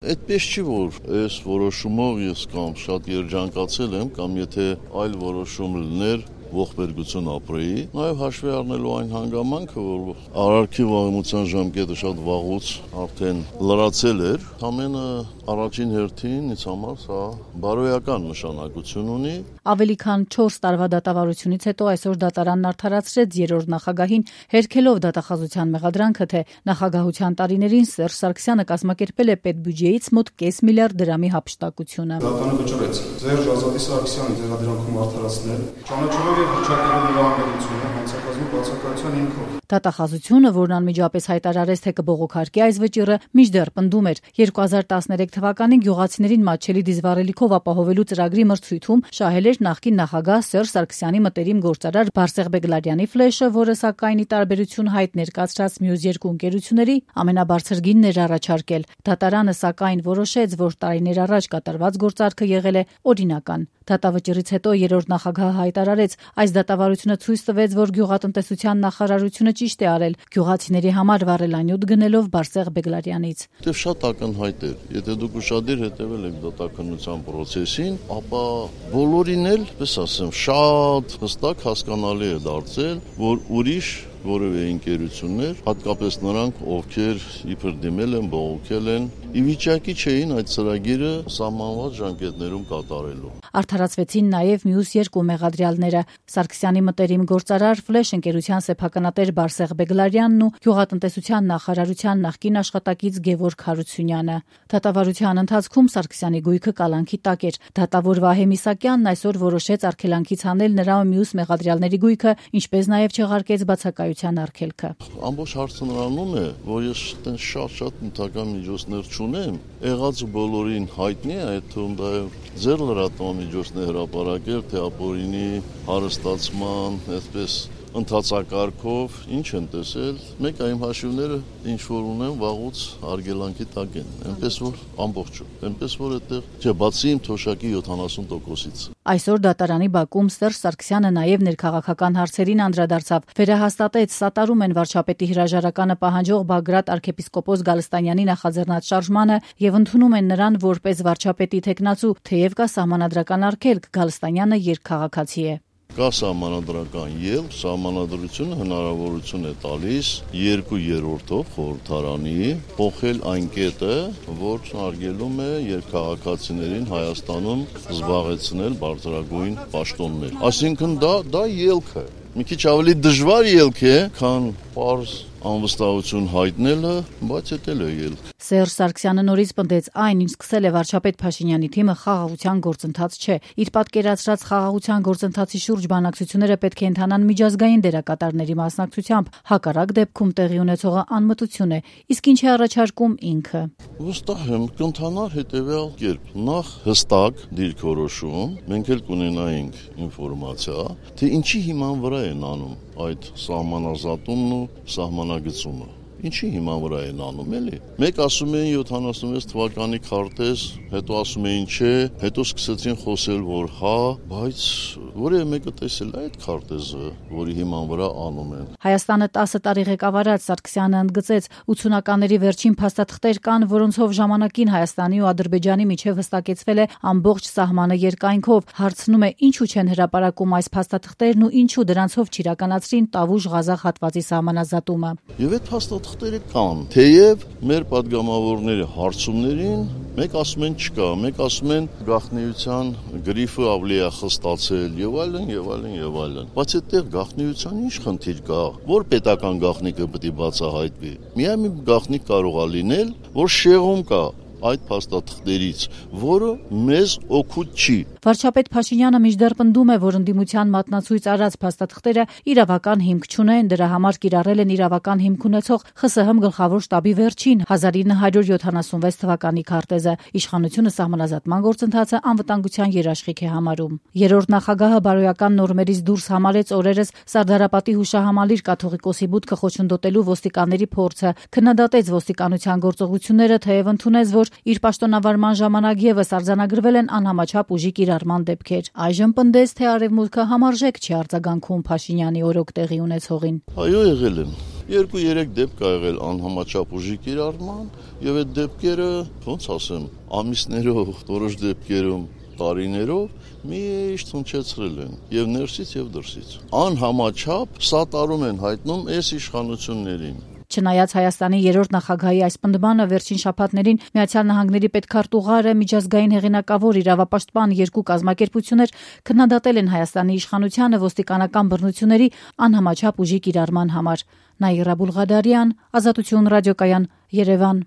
Այդպես չի, որ այս որոշումով ես կամ շատ երջանկացել եմ, կամ եթե այլ որոշում լիներ, ողբերգություն ապրեի, նաև հաշվի առնելու այն հանգամանքը, որ արարքի վաղեմության ժամկետը շատ վաղուց արդեն լրացել էր, ամենը առաջին հերթին ինձ համար սա բարոյական նշանակություն ունի։ Ավելի քան 4 տարվա դատավարությունից հետո այսօր դատարանն արդարացրեց երրորդ նախագահին, հերքելով դատախազության մեղադրանքը, թե նախագահության տարիներին Սերժ Սարգսյանը կազմակերպել է պետբյուջեից մոտ կես միլիարդ դրամի հափշտակությունը։ Դատարանը վճռեց Սերժ Ազատի Սարգսյանի դերադրանքում արդարացնել, ճանաչելով եւ հռչակելով նրա անգերությունը հանցակազմի բացակայության հիմքով։ Դատախազությունը, որն անմիջապես հայտարարեց, թե կբողոքարկի այս վճիռը, մինչդեռ պնդում էր 2013 թվականին գյուղացիներին մատչելի դիզվառելիքով ապահովելու ծրագրի մրցույթում շահել էր նախկին նախագահ Սերժ Սարգսյանի մտերիմ գործարար Բարսեղ Բեգլարյանի ֆլեշը, որը սակայն ի տարբերություն հայտ ներկայացրած մյուս երկու ընկերությունների ամենաբարձր գինն էր առաջարկել։ Դատարանը սակայն որոշեց, որ տարիներ առաջ կատարված գործարքը եղել է օրինական։ Դատավճռից հետո երրորդ նախագահը հայտարարեց, այս դատավարությունը ցույց տվեց, որ գյուղատնտեսության նախարարությունը ճիշտ է արել գյուղացիների համար վառելանյութ գնելով Բարսեղ Բեգլարյանից։ Դե շատ ակնհայտ էր, եթե դուք ուշադիր հետևել եք դատականության process-ին, ապա բոլորին էլ, պես ասեմ, շատ հստակ հասկանալի է դարձել, որ ուրիշ որևէ ընկերություններ, հատկապես նրանք, ովքեր իբր դիմել են, բողոքել են, ի վիճակի չէին այդ ծրագիրը սահմանված ժամկետներում կատարելու։ Արդարացվեցին նաև մյուս երկու մեղադրյալները՝ Սարգսյանի մտերիմ գործարար ֆլեշ ընկերության սեփականատեր Բարսեղ Բեգլարյանն ու գյուղատնտեսության նախարարության նախկին աշխատակից Գևորգ Հարությունյանը։ Դատավարության ընթացքում Սարգսյանի գույքը կալանքի տակ էր։ Դատավոր Վահե Միսակյանն այսօր որոշեց արգելանքից հանել նրա ու մյուս մեղադրյալների գույքը, ինչպես նաև չեղարկեց բացակայության արգելքը։ Ամբողջ հարցը նրանում է, որ ես շատ նյութական միջոցներ չունեմ, եղած բոլորին հայտնի է, այդ թվում դա ձեր լրատվամիջոցն է հրապարակել, թե ապօրինի հարստացման, այսպես ընթացակարգով ինչ են տեսել, մեկ այմ հաշիվները ինչ որ ունեն վաղուց արգելանքի տակ են, այնպես որ ամբողջը, այնպես որ այդտեղ չէ, բացի իմ թոշակի 70%-ից։ Այսօր դատարանի բակում Սերժ Սարգսյանը նաև ներքաղաքական հարցերին անդրադարձավ, վերահաստատեց սատարում են վարչապետի հրաժարականը պահանջող Բագրատ arczepiskopos Գալստանյանի նախաձեռնած շարժմանը եւ ընդունում են նրան որպես վարչապետի թեկնածու, թեև կա սահմանադրական արգելք, Գալստանյանը երկքաղաքացի է։ Կա սահմանադրական ելք, սահմանադրությունը հնարավորություն է տալիս 2/3-ով խորհրդարանի փոխել այն կետը, որ արգելում է երկքաղաքացիներին Հայաստանում զբաղեցնել բարձրագույն պաշտոններ։ Այսինքն դա ելք է։ Մի քիչ ավելի դժվար ելք է, քան պարզ անվստահություն հայտնելը, բայց դա էլ է ելք։ Սերժ Սարգսյանը նորից պնդեց, այն, ինչ սկսել է վարչապետ Փաշինյանի թիմը, խաղաղության գործընթաց չէ։ Իր պատկերացրած խաղաղության գործընթացի շուրջ բանակցությունները պետք է ընթանան միջազգային դերակատարների մասնակցությամբ, հակառակ դեպքում տեղի ունեցողը անմտություն է, իսկ ինչ է առաջարկում ինքը։ Վստահ եմ, կընթանար հետևյալ կերպ. նախ հստակ դիրքորոշում, մենք էլ կունենայինք ինֆորմացիա, թե ինչի հիման վրա են անում այդ սահմանազատումն ու սահմանագծումը։ Ինչի հիման վրա են անում, էլի։ Մեկ ասում էին 76 թվականի քարտեզ, հետո ասում էին չէ, հետո սկսեցին խոսել, որ հա, բայց որևէ մեկը տեսել է այդ քարտեզը, որի հիման վրա անում են։ Հայաստանը 10 տարի ղեկավարած Սարգսյանը ընդգծեց, 80-ականների վերջին փաստաթղթեր կան, որոնցով ժամանակին Հայաստանի ու Ադրբեջանի միջև հստակեցվել է ամբողջ սահմանը երկայնքով։ Հարցնում է, ինչու չեն հրապարակում այս փաստաթղթերն ու ինչու դրանցով չիրականացրին Տավուշ-Ղազախ հատվածի սահմանազատումը։ Եվ այդ փաստաթղթերը կան, թեև մեր падգամավորների հարցումներին մեկ ասում են չկա, մեկ ասում են գաղտնիության գրիֆը ավելի է խստացել եւ այլն եւ այլն եւ այլն։ Բայց այդտեղ գաղտնիության ինչ խնդիր կա, որ պետական գաղտնիքը պետք է բացահայտվի։ Միայն մի գաղտնիք կարող է լինել, որ շեղում կա այդ փաստաթղթերից, որը մեզ օգուտ չի։ Վարչապետ Փաշինյանը մինչդեռ պնդում է, որ ընդդիմության մատնացույց արած փաստաթղթերը իրավական հիմք չունեն, դրա համար կիրառել են իրավական հիմք ունեցող ԽՍՀՄ գլխավոր շտաբի վերջին 1976 թվականի քարտեզը։ Իշխանությունը սահմանազատման գործընթացը անվտանգության երաշխիք է համարում։ Երրորդ նախագահը բարոյական նորմերից դուրս համարեց օրերս Սարդարապատի հուշահամալիր կաթողիկոսի բուդկը խոչընդոտելու ոստիկանների փորձը, քննադատեց ոստիկանության գործողությունները, թեև ընդունեց, որ իր պաշտոնավարման ժամանակ եւս արձանագրվել են անհամաչափ ուժի կիրառման դեպքեր։ Այժմ պնդեց, թե Արևմուտքը համարժեք չի արձագանքում Փաշինյանի օրոք տեղի ունեցողին։ Այո, եղել են։ 2-3 դեպք ա եղել անհամաչափ ուժի կիրառման, եւ այդ դեպքերը, ոնց ասեմ, ամիսներով, որոշ դեպքերում տարիներով միշտ հնչեցրել են եւ ներսից եւ դրսից։ Անհամաչափ սատարում են հայտնում այս իշխանություններին։ Չնայած Հայաստանի երրորդ նախագահի այս պնդմանը վերջին շաբաթներին Միացյալ Նահանգների պետքարտուղարը, միջազգային հեղինակավոր իրավապաշտպան երկու կազմակերպություններ քննադատել են Հայաստանի իշխանությանը ոստիկանական բռնությունների անհամաչափ ուժի կիրառման համար։ Նաիրա Բուլղադարյան, Ազատություն ռադիոկայան, Երևան։